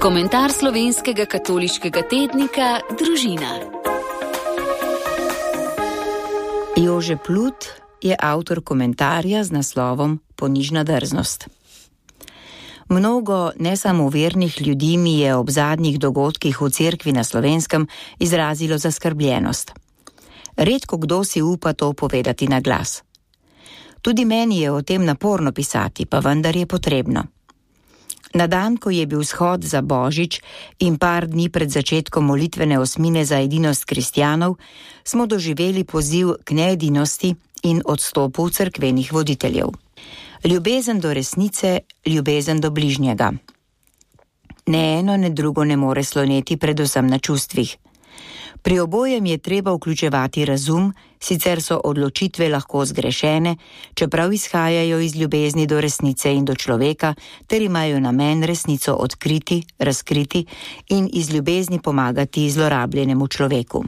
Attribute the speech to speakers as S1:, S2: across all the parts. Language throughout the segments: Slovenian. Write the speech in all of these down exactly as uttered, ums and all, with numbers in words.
S1: Komentar slovenskega katoliškega tednika Družina.
S2: Jože Plut je avtor komentarja z naslovom Ponižna drznost. Mnogo nesamovernih ljudi mi je ob zadnjih dogodkih v cerkvi na Slovenskem izrazilo zaskrbljenost. Redko kdo si upa to povedati na glas. Tudi meni je o tem naporno pisati, pa vendar je potrebno. Na dan, ko je bil shod za Božič in par dni pred začetkom molitvene osmine za edinost kristjanov, smo doživeli poziv k needinosti in odstopu cerkvenih voditeljev. Ljubezen do resnice, ljubezen do bližnjega. Ne eno, ne drugo ne more sloneti predvsem na čustvih. Pri obojem je treba vključevati razum, sicer so odločitve lahko zgrešene, čeprav izhajajo iz ljubezni do resnice in do človeka, ter imajo namen resnico odkriti, razkriti in iz ljubezni pomagati zlorabljenemu človeku.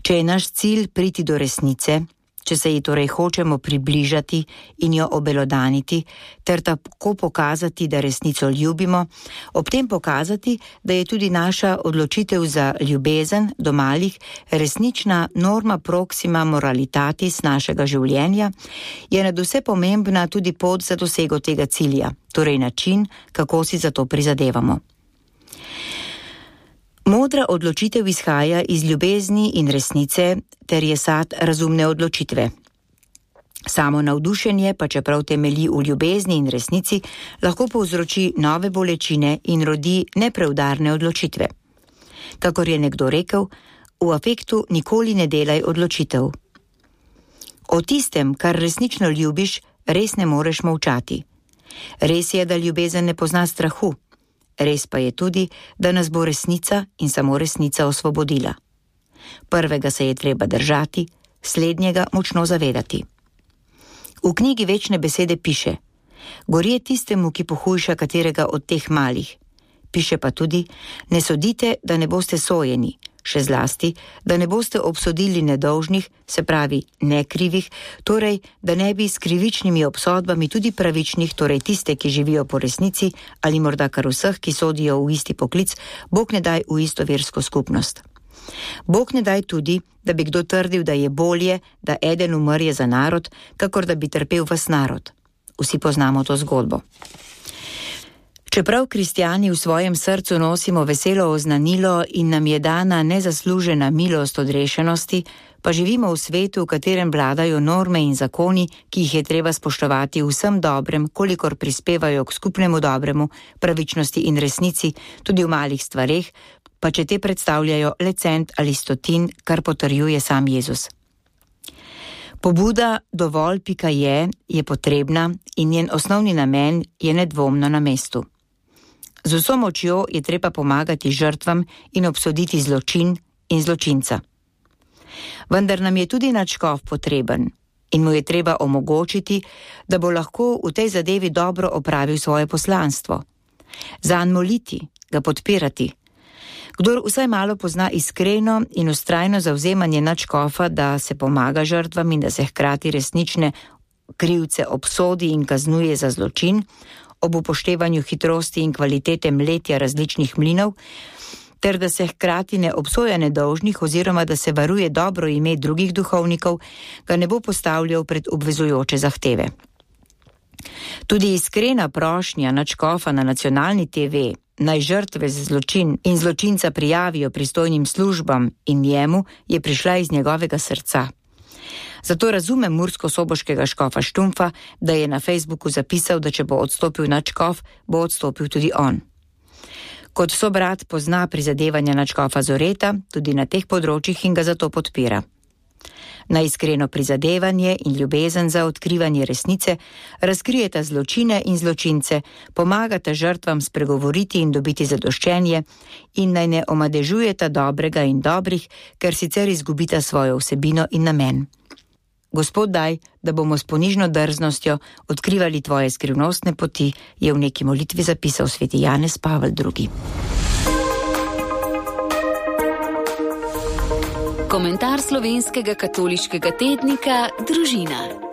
S2: Če je naš cilj priti do resnice, če se ji torej hočemo približati in jo obelodaniti, ter tako pokazati, da resnico ljubimo, ob tem pokazati, da je tudi naša odločitev za ljubezen do malih resnična norma proxima moralitatis našega življenja, je nadvse pomembna tudi pot za dosego tega cilja, torej način, kako si za to prizadevamo. Modra odločitev izhaja iz ljubezni in resnice, ter je sad razumne odločitve. Samo navdušenje, pa čeprav temelji v ljubezni in resnici, lahko povzroči nove bolečine in rodi nepreudarne odločitve. Kakor je nekdo rekel, v afektu nikoli ne delaj odločitev. O tistem, kar resnično ljubiš, res ne moreš molčati. Res je, da ljubezen ne pozna strahu. Res pa je tudi, da nas bo resnica in samo resnica osvobodila. Prvega se je treba držati, slednjega močno zavedati. V knjigi Večne besede piše: gorje tistemu, ki pohujša katerega od teh malih. Piše pa tudi: ne sodite, da ne boste sojeni, še zlasti, da ne boste obsodili nedolžnih, se pravi nekrivih, torej, da ne bi s krivičnimi obsodbami tudi pravičnih, torej tiste, ki živijo po resnici, ali morda kar vseh, ki sodijo v isti poklic, Bog ne daj v isto versko skupnost. Bog ne daj tudi, da bi kdo trdil, da je bolje, da eden umrje za narod, kakor da bi trpel ves narod. Vsi poznamo to zgodbo. Čeprav kristjani v svojem srcu nosimo veselo oznanilo in nam je dana nezaslužena milost odrešenosti, pa živimo v svetu, v katerem vladajo norme in zakoni, ki jih je treba spoštovati vsem dobrem, kolikor prispevajo k skupnemu dobremu, pravičnosti in resnici, tudi v malih stvareh, pa če te predstavljajo le cent ali stotin, kar potrjuje sam Jezus. Pobuda dovolj pika je, je potrebna in njen osnovni namen je nedvomno na mestu. Z vso močjo je treba pomagati žrtvam in obsoditi zločin in zločinca. Vendar nam je tudi nadškof potreben in mu je treba omogočiti, da bo lahko v tej zadevi dobro opravil svoje poslanstvo. Zanj moliti, ga podpirati. Kdor vsaj malo pozna iskreno in vztrajno zavzemanje nadškofa, da se pomaga žrtvam in da se hkrati resnične krivce obsodi in kaznuje za zločin, ob upoštevanju hitrosti in kvalitete mletja različnih mlinov, ter da se hkrati ne obsoja nedolžnih oziroma da se varuje dobro ime drugih duhovnikov, ga ne bo postavljal pred obvezujoče zahteve. Tudi iskrena prošnja nadškofa na nacionalni te ve, naj žrtve za zločin in zločinca prijavijo pristojnim službam in njemu, je prišla iz njegovega srca. Zato razumem mursko-soboškega škofa Štumfa, da je na Facebooku zapisal, da če bo odstopil nadškof, bo odstopil tudi on. Kot sobrat pozna prizadevanja nadškofa Zoreta tudi na teh področjih in ga zato podpira. Na iskreno prizadevanje in ljubezen za odkrivanje resnice razkrijeta zločine in zločince, pomagata žrtvam spregovoriti in dobiti zadoščenje in naj ne omadežujeta dobrega in dobrih, ker sicer izgubita svojo vsebino in namen. Gospod daj, da bomo s ponižno drznostjo odkrivali tvoje skrivnostne poti, je v neki molitvi zapisal sveti Janez Pavel drugi.
S1: Komentar slovenskega katoliškega tednika Družina.